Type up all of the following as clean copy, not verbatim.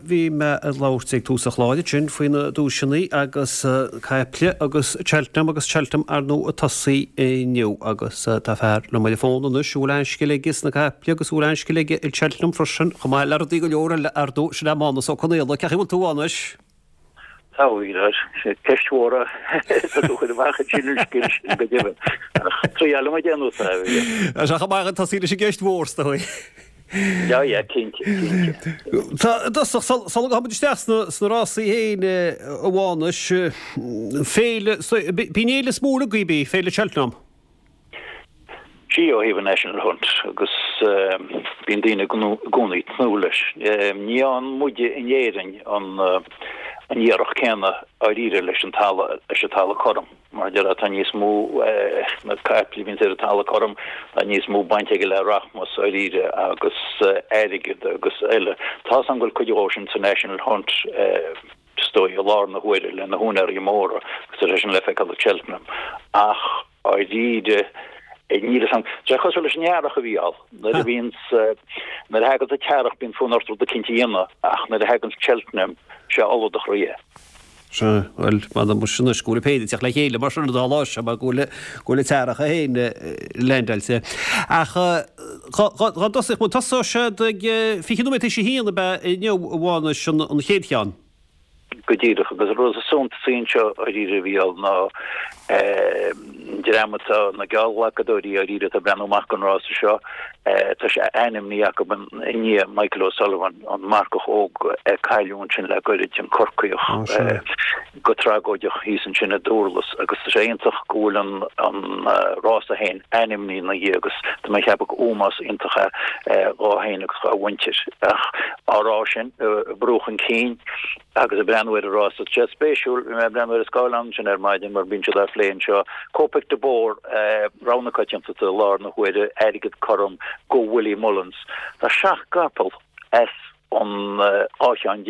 Bhí mé ag labhairt ag tús an chláir ansin faoi na duaiseanna agus caiple agus Cheltenham agus Cheltenham ar ndóigh ag tosaí inniu agus tá fear liom ar an bhfón anois a bhfuil an-scil aige sna caiple agus a bhfuil an-scil aige i Cheltenham freisin chomh maith le rudaí go leor eile ar ndóigh, sin é Mánus Ó Conaola. Cén chaoi a bhfuil tú a Mhánais? Tá, ceist mhór atá tú a chur amach ansin an scil sin go deimhin. Ach triailfidh muid aon nós a bhí. Tá sé chomh maith tosaí leis an gceist mhór, is dóigh. Yeah, yeah, cinnte, cinnte. Tá, i dtosach, sula ngabhann muid isteach sna rásaí féin, a Mhánais, féile, b'í an fhéile is mó agaibh í, Féile Cheltenham. Sea, ó thaobh an National Hunt, agus bíonn daoine i gcónaí ag tnúth leis. Ní fhaigheann muide in Éirinn an iarracht céanna dháiríre leis an talamh, leis an talamh cothrom. Mar a déarfá, tá níos mó, na caiple a bhíonns ar an talamh cothrom, tá níos mó baint aige le rachmas dháiríre agus airgead agus eile. Tá's agam go bhfuil cuid dhó sin sa National Hunt, is dóigh, i lár na huaire le na húinéirí móra agus tá sé sin le feiceáil i Cheltenham. Ach. Dáiríre, níl fhios a'm. Tá sé cosúil leis an earrach, a Mhícheáil. Nuair a bhíonns, nuair a thaganns an t-earrach bíonn fonn ort rud eicínt a dhéanamh ach nuair a thaganns Cheltenham, sé ola do chroí é. Sea, bhuel, m'anam muis anois go bhfuil an péire ag teacht le chéile mar sin an dá lá seo mar go bhfuil, go bhfuil an t-earrach é féin leaindeáilte. Ach dá dtosódh muid, tosóidh siad ag 20 nóiméad théis a haon ab ea inniu, a Mhánais, an chéad cheann? Go díreach, agus an rud is suntasaí anseo dháiríre, a Mhícheáil, ná an dream atá, na geallghlacadóirí dháiríre atá ag breathnú amach don rása seo, tá sé ainmnithe acu i ndiaidh Michael O'Sullivan, an marcach óg a cailleadh ansin le goirid, an Corcaíoch, go tragóideach thíos ansin i nDurlas agus tá sé iontach go bhfuil an rása féin ainmnithe ina dhiaidh agus tá mé ag ceapadh gur ómós iontach é dhó féin agus dhá mhuintir. Ach á rá sin, ag brú chun cinn agus ag breathnú ar an rása, tá sé spéisiúil, bhí mé ag breathnú ar an scáileán ansin ar maidin mar bíonn siad á phlé anseo, Kopek Des Bordes, rogha na coitiantachta i lár na huaire, airgead cothrom go Willie Mullins. Tá seacht gcapall as an 12 cheann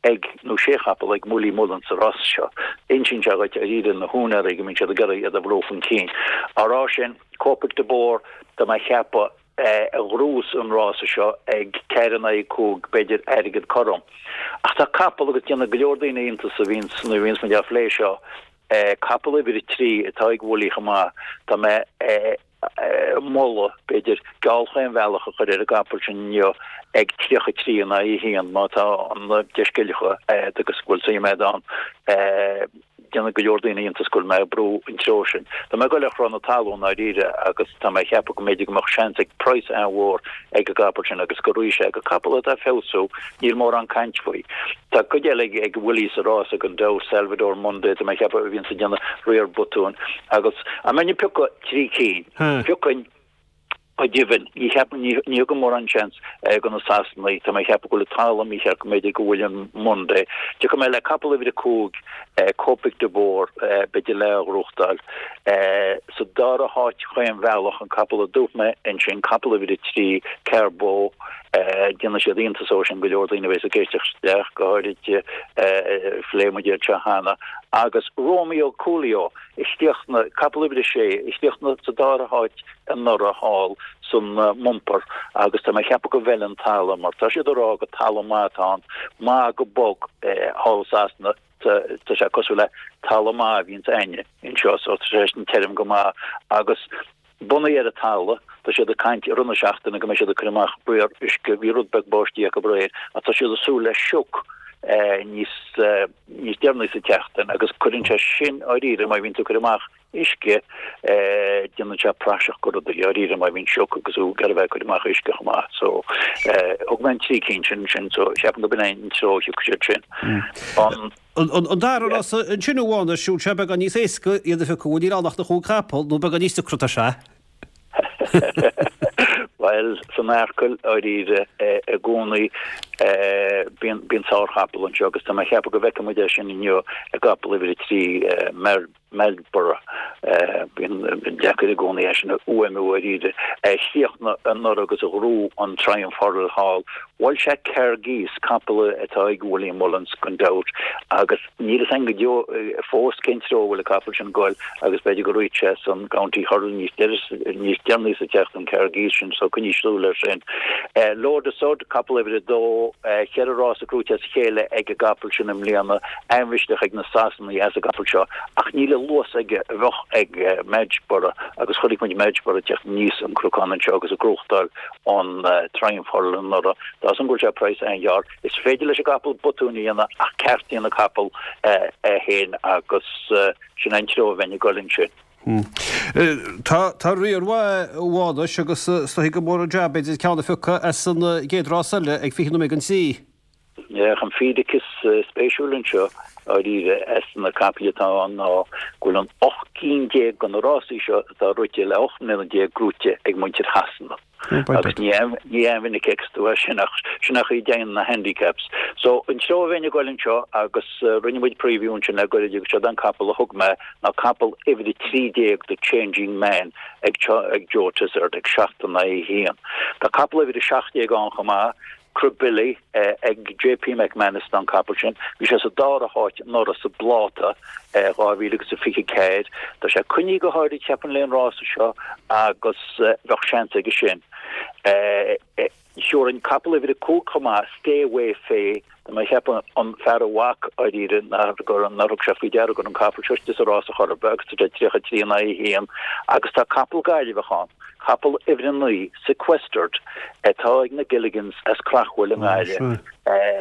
ag, nó sé chapall ag Willie Mullins sa rás seo. Insíonn sé dhuit, dáiríre, na húinéirí go mbíonn siad ag iarraidh iad a bhrú chun cinn. Á rá sin, Kopek Des Bordes, tá mé a cheapadh, a ghnóthós an rása seo ag 4 in aghaidh 5, b'fhéidir airgead cothrom. Ach tá capall agus déanfaidh go leor daoine iontas a bhíonns, nuair a bhíonns muid á phlé seo, capall uimhir 3 atá ag Willie chomh maith, tá mé moladh, b'fhéidir, geall chaon bhealach a chur ar an gcapall sin inniu ag 33 in aghaidh 1, má tá an deisceiliocha agat agus go bhfuil suim agat ann. Déanfaidh go leor daoine iontas go bhfuil mé ag brú an treo sin. Tá mé ag dul ar chró na talún ndáiríre agus tá mé ag ceapadh go mb'fhéidir go mbeadh seans ag praghas an-mhór ag an gcapall sin agus go raghaidh sé go capall atá ag feabhsú, níl mórán caint faoi. Tá cuid eile ag Willie sa rás gan dabht, Salvador Monday, tá mé ag ceapadh a bhíonns ag déanamh riar botúin agus dá mbeinn ag piocadh trí cinn, piocfainn go deimhin, ní cheapaim, ní thugaim mórán seans do na Sasanaigh, tá mé ag ceapadh go bhfuil an talamh mícheart go mb'fhéidir go bhfuil Monday. Tiocfaidh mé le capall uimhir 5, Kopek Des Bordes, b'fhéidir le a ghnóthachtáil. Sa dara háit chaon bhealach, an capall a dúirt mé ansin, capall uimhir 3, Carbeau, Déanfaidh siad iontas ó sin go leor daoine a bheas ag éisteacht isteach, go háirid phléigh muid iad seo cheana, agus Romeo Coolio a chríochnaigh, capall uimhir a sé, a chríochnaigh sa dara háit anuraidh thall san mbumper agus tá mé ag ceapadh go bhfeileann an talamh mar tá siad ag rá gur talamh maith atá ann, maith go bog thall i Sasana. Tá sé cosúil le talamh maith a bhíonns a'inne anseo so tá sé sin tirim go maith agus bunaithe ar an talamh, tá siad ag caint i rith na seachtaine go mbeidh siad ag cur amach riar uisce, bhí rud beag báistí acu aréir ach tá siad ag súil le sioc níos níos deireanaí sa tseachtain agus cuireann sé sin dáiríre má bhíonn tú ag cur amach uisce, déanann sé praiseach de rudaí, dáiríre má bhíonn sioc agus tú ag iarraidh a bheith ag cur amach uisce chomh maith. So, thug mé an trí cinn sin ansin, so ceapaim go b'in é an treo a thiocfaidh siad sin. An. An dara rás ansin a Mhánais, siúd sé beagán níos éasca iad a phiocadh, níl ann ach na chúig chapall, nó beagán níos deacra atá sé. Bhuel, san Arkle, dáiríre, i gcónaí, bíonn, bíonn sárchapall anseo agus tá mé ag ceapadh go bhfeicfidh muid é sin inniu i gcapall uimhir 3, Mer. Meadborough, bíonn deacair i gcónaí é sin a fhuaimniú dháiríre, a chríochnaigh anuraidh agus a ghnóthaigh an Triumph Hurdle thall. Bhuail sé Kergis, capall atá ag William Mullins gan dabht, agus níl fhios againn go deo fós cén treo a bhfuil an capall sin ag goil agus b'fhéidir go rithfeadh sé san County Hurdle níos deireanaí sa tseachtain, Kergis sin, so coinnigh súil air sin. Lord Sud, capall uimhir a dó, cheithre rása gnóite as a chéile ag an gcapall sin i mbliana, an-mhisneach ag na Sasanaigh as an gcapall seo ach níl an luas aige a bheadh ag Majborough agus chonaic muid Majborough ag teacht aníos an cnocán anseo agus ag gnóthachtáil an Triumph Hurdle anuraidh. Tá fhios agam go bhfuil sé praghas an-ghearr. Is féidir leis an gcapall botúin a dhéanamh ach ceartaíonn an capall é féin agus sin an treo a bheinn ag dul ansin. Tá tá riar mhaith a Mhánais agus is dóichí gur mór an jab b'fhéidir ceann a phiocadh as an gcéad rás eile ag 20 nóiméad don trí. Ach an fíric is spéisiúil anseo, dáiríre, as na capaill atá ann ná go bhfuil an 18 cinn de na rásaí seo atá rite le 18 mbliana gnóite ag muintir Shasana. Agus ní an-mhinic a fheiceas tú é sin ach sin é an chaoi a dtéann na handicaps. So, an treo a bheinn ag goil anseo agus rinne muid preview ansin le goirid agus seod an capall a thug mé ná capall uimhir 13 The Changing Man ag Joe Tizzard ag 7 in aghaidh 1. Tá capall uimhir 17 ann chomh maith, Crebilly ag JP McManus an capall sin. Bhí sé sa dara háit anuraidh sa bpláta 2024. Tá sé coinnithe go háirid cheapfainn le an rása seo agus bheadh seans aige sin. Thiúrfainn capall uimhir 5 chomh maith, Stay Away Fay, Tá mé ag ceapadh an fear a bhac dáiríre nár thug sé faoi deara go raibh an capall seo istigh sa rás a chor ar bith agus tá sé 33 in aghaidh 1 agus tá capall Gaillimheach ann, capall uimhir 9, Sequestered, atá ag na Gilligans as Craughwell i nGaillimh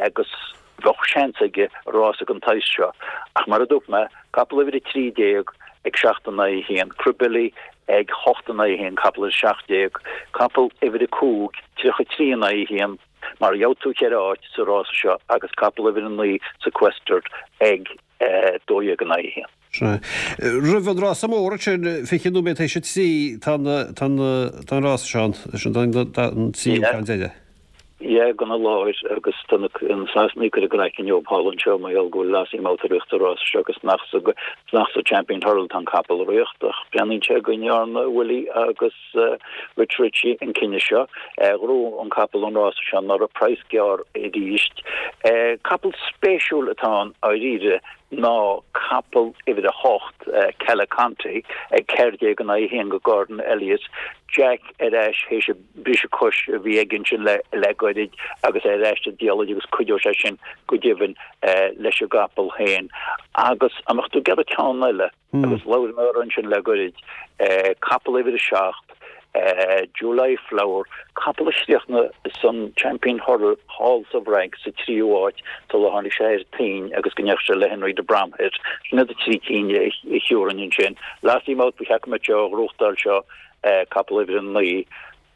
agus bheadh seans aige rása den tsaghas seo. Ach mar a dúirt mé, capall uimhir 13 ag 7 in aghaidh 1, Crebilly ag 8 in aghaidh 1, capall uimhir 17, capall uimhir 5, 33 in aghaidh 1, Mar gheobhaidh tú cheithre áit sa rása seo agus capall uimhir 9 Sequestered ag 12 in aghaidh 1. Sea. Roimh an rása mór ansin, 20 nóiméad théis a 3, tá an rása seo ann, sin an tríú ceann deiridh. Yeah, gona láthair agus tá na Sasanaigh ag cur a gcraiceann leo thall anseo mar gheall go bhfuil Lossiemouth ag rith sa rása seo agus nach sa Champion Hurdle atá an capall ag rith ach breathnaíonn sé go ndearna Willie agus Rich Ricci an cinneadh seo. Ghnóthaigh an capall an rása seo anuraidh, praghas gearr arís. Capall spéisiúil atá ann dáiríre ná capall uimhir 8, Calaconte, ag 14 in aghaidh 1 go Gordon Elliott. Jack ar ais théis an briseadh cois a bhí aige ansin le goirid agus é ar ais sa diallait agus cuideoidh sé sin go deimhin leis an gcapall féin. Agus an mbeadh tú ag iarraidh ceann eile? Agus labhair mé air ansin le goirid, capall uimhir 7, July Flower, capall a chríochnaigh san Champion Hurdle thall sa bhFrainc sa tríú háit sula tháinig sé ar toinn agus go ndeachaigh sé le Henry de Bromhead. Sin iad na trí cinn a thiúrfainn ansin. Lossiemouth, ba cheart go mbeadh sé á ghnóthachtáil seo, capall uimhir 9.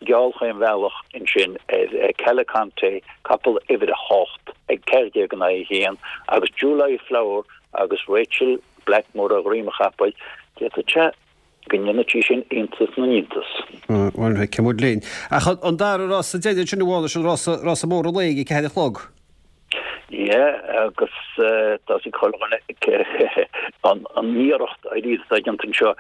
Geall chaon bhealach ansin ar Calaconte, capall uimhir 8, ag 14 in aghaidh 1, agus July Flower agus Rachael Blackmore ar dhroim an chapaill, d'fhéadfadh sé go ndéanfadh sí sin iontas na n-iontas. Bhuel, feicfidh muid linn. Ach an dara rása deiridh ansin, a Mhánais, an rása, rása mór an lae ag 4 a chlog. Yeah, agus tá fhios ag chuile dhuine an iarracht arís atá déanta anseo.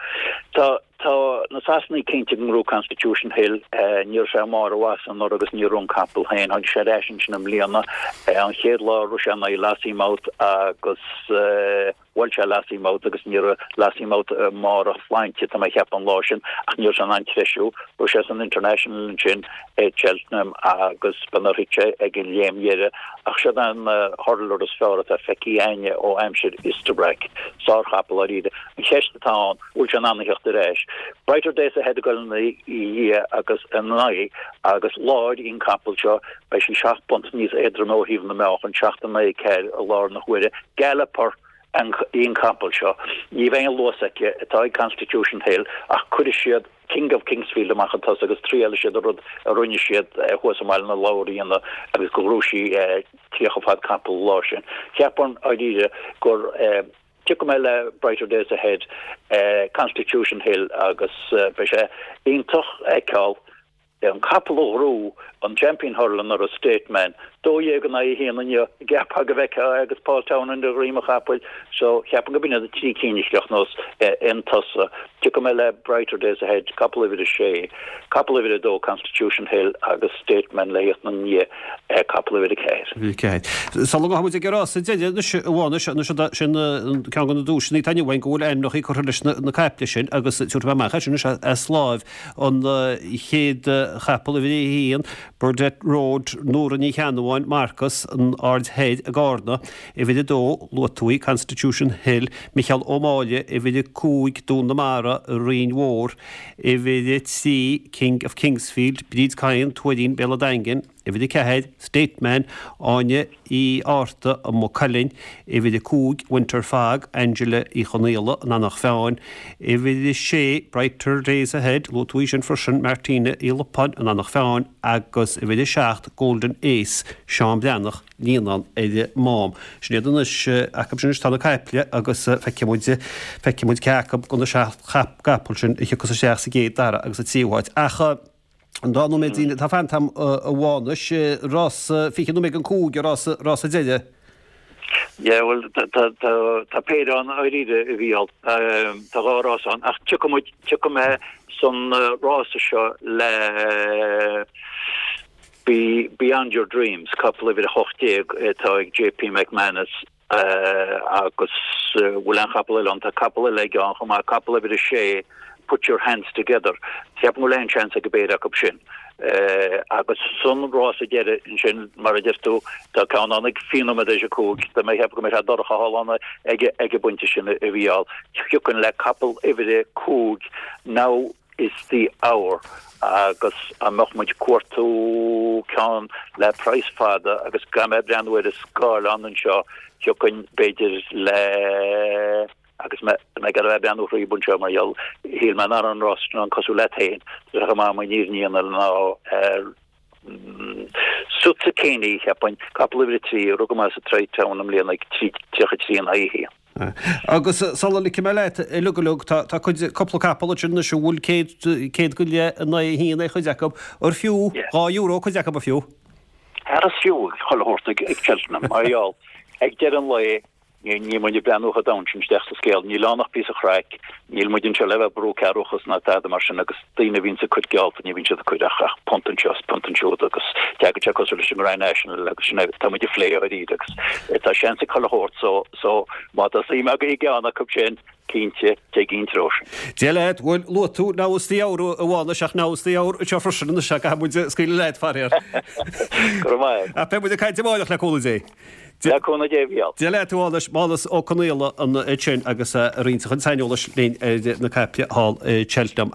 Tá Tá na Sasanaigh cinnte go ngnóthóidh Constitution Hill. Ní raibh sé i mbarr a mhaitheasa anuraidh agus ní raibh an capall féin. Tháinig sé ar ais ansin i mbliana. An chéad lá rith sé in aghaidh Lossiemouth agus bhuail sé Lossiemouth agus ní raibh Lossiemouth i mbarr a shláinte, tá mé a cheapadh, an lá sin ach ní raibh sé in ann treisiú. Rith sé san International ansin i Cheltenham agus ba nár thit sé ag an léim dheiridh. Ach siod an hurdler is fearr atá feicthe againne ó aimsir Istabraq. Sárchapall dáiríre. An cheist atá ann, bhfuil sé in ann a theacht ar ais. Brighter Days Ahead ag dul ina dhiaidh agus ina aghaidh agus láir í an capall seo, beidh sí 7 bpunt níos éadroime ó thaobh na meáchan, 7 in aghaidh 4 i láthair na huaire. Galloper í an capall seo. Ní bheidh an luas aici atá ag Constitution Hill ach cuirfidh siad King of Kingsfield amach chun tosaigh agus triailfidh siad an rud a rinne siad thuas i mBaile na Lobhar a dhéanamh agus go ngnóthaigh sí 30 fad capall an lá sin. Cheapfainn, dáiríre, gur. Tiocfaidh mé le Brighter Days Ahead, Constitution Hill agus beidh sé iontach a fheiceáil an capall a ghnóthaigh an Champion Hurdle anuraidh, State Man. 12 in aghaidh 1 inniu, cheapfá go bhfeicfeá é agus Paul Townend ar dhroim an chapaill so cheapfainn go b'in iad na 3 cinn a chríochnós in tosach. Tiocfaidh mé le Brighter Days Ahead, capall uimhir 6, capall uimhir 2 Constitution Hill agus Stateman le thíocht ina ndiaidh, capall uimhir 4. Uimhir 4. Sula ngabhfaidh muid ag an rása deiridh anois a Mhánais, anois sin ceann de na duaiseanna atá inniu againn go bhfuil ainmneacha curtha leis na caiple sin agus tabharfaidh mé amach é sin anois as láimh an chéad chapall uimhir 1, Burdett Road, Nóra Ní Cheannabháin, Marcas, an Aird Thoir i gCarna, uimhir 2, luaigh tú í, Constitution Hill, Micheál Ó Máille, uimhir 5, Dún na Mara, Rinn Mhór, uimhir 3, King of Kingsfield, Bríd Kyne, Tuairín, Béal an Daingin, uimhir 4, Stateman, Áine Uí Fhátharta, Maigh Cuilinn, uimhir 5, Winter Fog, Angela Uí Chonaola, An Eanach Mheáin, uimhir 6, Brighter Days Ahead, luaigh tú í sin freisin, Martina Uí Lupáin, An Eanach Mheáin, agus uimhir 7, Golden Ace, Seán Breathnach, Líonán ar an Mám. Sin iad anois, acu sin anois tá na caiple agus feicfidh muid, feicfidh muid cé acu de na 7 gcapall sin a thiocfas isteach sa gcéad, dara agus sa tríú háit. Ach an dá nóiméad atá fanta agam a Mhánais, rás 20 nóiméad don 5, rás, rása deiridh. Yeah, bhuel, tá péire ann dáiríre, a Mhícheál. Tá dhá rás ann, ach tiocfaidh muid, tiocfaidh mé san rása seo le Beyond Your Dreams, capall uimhir 18 atá ag JP McManus agus bhfuil aon chapall eile ann? Tá capall eile aige ann chomh maith, capall uimhir 6, Put Your Hands Together. Ceapaim go bhfuil aon seans ag an bpéire acu sin. Agus san rása deiridh ansin, mar a deir tú, tá ceann ann ag 20 nóiméad théis a 5, tá mé ag ceapadh go mbeidh sé dorcha thall ann ag an bpointe sin a Mhícheál. Thiocfainn le capall uimhir 5, Now Is The Hour agus dá mbeadh muid ag cuartú ceann le praghas fada agus gan mé ag breathnú ar an scáileán anseo, thiocfainn b'fhéidir le agus mé ag iarraidh a bheith ag breathnú thríob anseo mar gheall shíl mé nach raibh an rás sin ann cosúil leat féin, tá sé chomh maith an fhírinne a dhéanamh ná Sutsikini, cheapfainn, capall uimhir 3, a rug amach sa Tri-Town i mbliana ag 33 in aghaidh 1. Agus sula ligfidh mé leat, uilig uilig, tá cuid, cúpla capall ansin anois a bhfuil 100 go leith in aghaidh 1 ar chuid acu, ar fiú €2 cuid acu, ar fiú? Ara is fiú chuile shórt ag Cheltenham, mar gheall, ag deireadh an lae, Níl muid ag breathnú chomh domhain sin isteach sa scéal. Níl ann ach píosa craic. Níl muid anseo le bheith ag brú cearrbhachas ná tada mar sin agus daoine a bhíonns ag cur geallta, ní bhíonn siad ag cur ach ach punt anseo is punt ansiúd agus teagann sé cosúil leis an Grand National agus sin é tá muid ag plé dháiríre agus tá seans ag chuile shórt so so má tá suim agaibh i gceann acu sin cinnte téigí an treo sin. Dia leat, bhuel luaigh tú Now Is The Hour a Mhánais ach Now Is The Hour anseo freisin anois caithfidh muid scaoileadh leat faraor. Go raibh maith agat. Ach beidh muid ag caint amárach le cúnamh Dé. Le cúnamh Dé, a Mhícheál. Dia leat, a Mhánais, Mánas Ó Conaola ansin agus ag roinnt a chuid saineolais linn ar na caiple thall i Cheltenham.